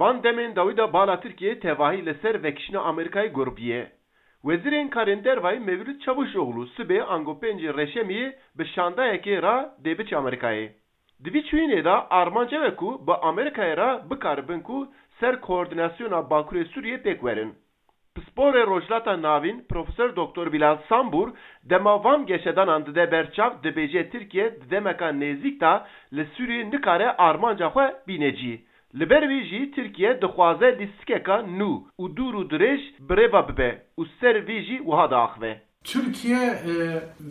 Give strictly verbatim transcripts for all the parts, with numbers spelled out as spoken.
Van demên dawî de bala Tirkiyeyê tevahî li ser vekişîna Amerîkayê gurbî ye. Wezîrên Karên Dervayî Mevlût Çavuşoglu sibê ango pêncê Reşemiyê bi şandayekê re dê biçe Amerîkayê. Di vî çûyînê de armanc ew e ku bi Amerîkayê re bikaribin ku ser koordînasyona Bakurê Sûriyê pêk werin. Pisporê Rojhilata Navîn, Profesor Doktor Bilal Sambur, dema van geşedanan dide ber çav, dibêje Tirkiye di demeka nêzîk de li Sûriyê nikare armanca xwe bîne cî. Li ber wî jî Tirkiye dixwaze lîstikeka nû û dûr û dirêj birêve bibe û ser vî jî wiha diaxive. Tirkiye, e,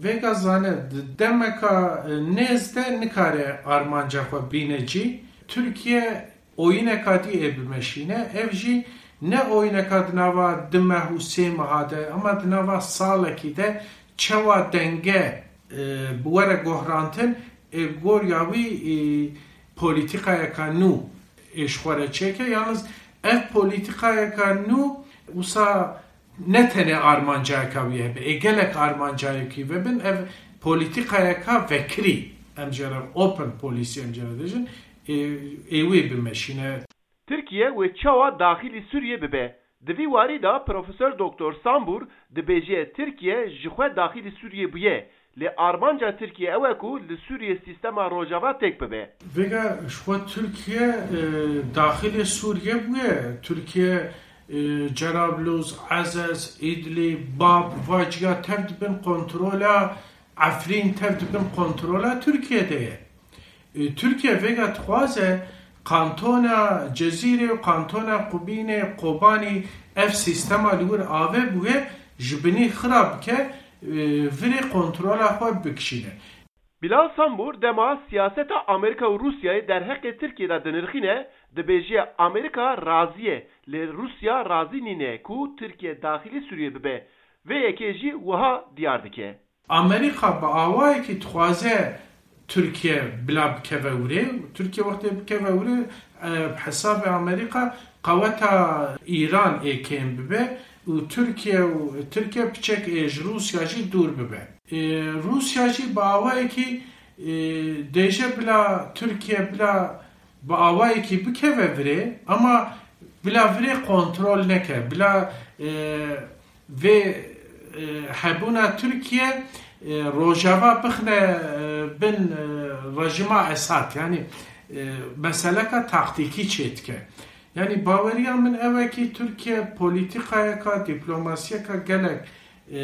vêga zane, di demeka, e, nêz de nikare armanca xwe bîne cî. Tirkiye oyîneka dî ê bimeşîne. Ev jî ne oyîneka di nava du meh û sê meha de, ama di nava salekî de çawa denge, e, bi were gohrantin, ê bi goriya wî, e, polîtîkayeka nû ê ji xwe re çêke. Yalnız ev polîtîkayeka nû wisa ne tenê armancayeka wî hebe, ê gelek armancayekî vebin, ev polîtîkayeka vekirî, em jê re open policy em jê re dibêjin, ê, ê wê bimeşîne. Tirkiye wê çawa daxilî Sûriyê bibe? Di vî warî de Profesor Doktor Sambur dibêje Tirkiye ji xwe daxilî Sûriyê bûye, lê armanca Tirkiye ew e ku li Sûriyê sîstema Rojava têk bibe. Vêga ji xwe Tirkiye, e, daxilê Sûriye bûye. Tirkiye, e, Cerablus, Ezez, Îdlib, Bab, va ciya tev dibin kontrola Efrîn, tev dibin kontrola Tirkiye de ye. E, Tirkiye vêga dixwaze kantona Cezîrê û kantona Qubînê, Kobanî ev sîstema li wir ave bûye, ji binî xira bike, e, virê kontrola xwe bikişîne. Bilal Sambur dema siyaseta Amerîka û Rûsyayê derheqê Tirkiyê de dinirxîne, dibêje Amerîka razî ye, lê Rûsya razî nîne ku Tirkiye daxilî Sûriyê bibe. Vê yekê jî wiha diyar dike. Amerîka bi awayekî dixwaze Tirkiye bila bikeve wirê. Tirkiye wextê bikeve wirê, e, bi hesabê Amerîka qeweta Îran ê kêm bibe û Tirkiye û Tirkiye piçek ê ji Rûsya jî dûr bibe. E, Rûsya jî bi awayekî, e, dêje bila Tirkiye bila bi awayekî bikeve virê, ama bila virê kontrol neke, bila, e, vê, e, hebûna Tirkiye, e, Rojava bixine, e, bin, e, rejîma Esad. Yanî, e, meseleka taktîkî çêdike. Yanî baweriya min ew e kî Tirkiye polîtîkayeka, dîplomasiyeka gelek, e,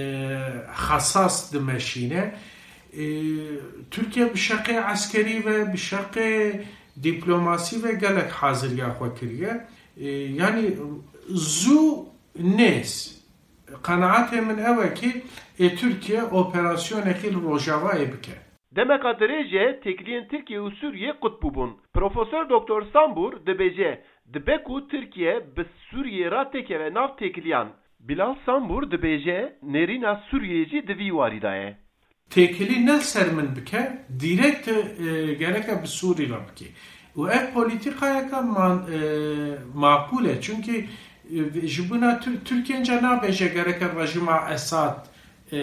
xesas dimeşîne. E, Tirkiye bi şeqê eskerî ve, bi şeqê dîplomasî ve gelek haziriya xwe kiriye. E, yanî zû nêz. Qenaetê min ew e kî ê Tirkiye operasyonekî li Rojavayê bike. Demeka dirêj e têkiliyên Tirkiye û Sûriye qut bûbûn. Profesor Doktor Sambur dibêje, dibe ku Tirkiye bi Sûriyê re têkeve nav têkiliyan. Bilal Sambur dibêje, nêrîna Sûriyeyê jî di vî warî de ye. Têkilî ne li ser min bike, dîrekt, e, gereke bi Sûrî re bike. Û ev polîtîkayeke man-, e, maqûl e. Çunkî, e, ji bona Tir-, Tirkiye înca nabêje gereke rejîma Esad, e,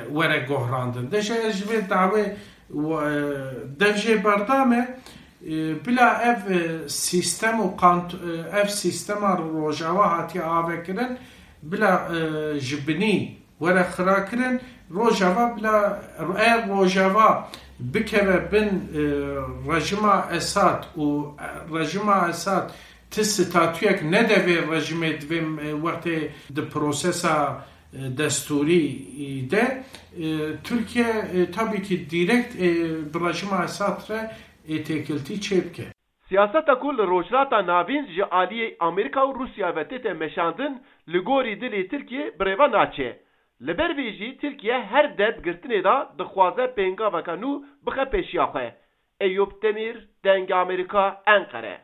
were gohrandin. Deje ez ji vê dawê, e, dev jê berdame, e, bila ev, e, sîstem û kant-, e, ev sîstema Rojava hatiye avekirin, bila, e, ji binî were xirakirin, Rojava bila, eğer Rojava bikeve bin, e, rejîma Esad û, e, rejîma Esad ti statuyek nede vê rejîmê di vê, e, wextê di prosesa, e, destûrî de, e, Tirkiye, e, tabii ki direkt, e, bi rejîma Esad re, e, têkiltî çêbike. Siyaseta ku li Rojhilata Navîn ji aliyê Amerîka û Rûsya ve tête meşandin, li gorî dilê Tirkiyê birêve naçe. Li ber vê jî Tirkiye her deb girtinê de dixwaze pêngaveke nû bixe pêşiya xwe. Eyûp Demîr, Dengê Amerîka, Enqere.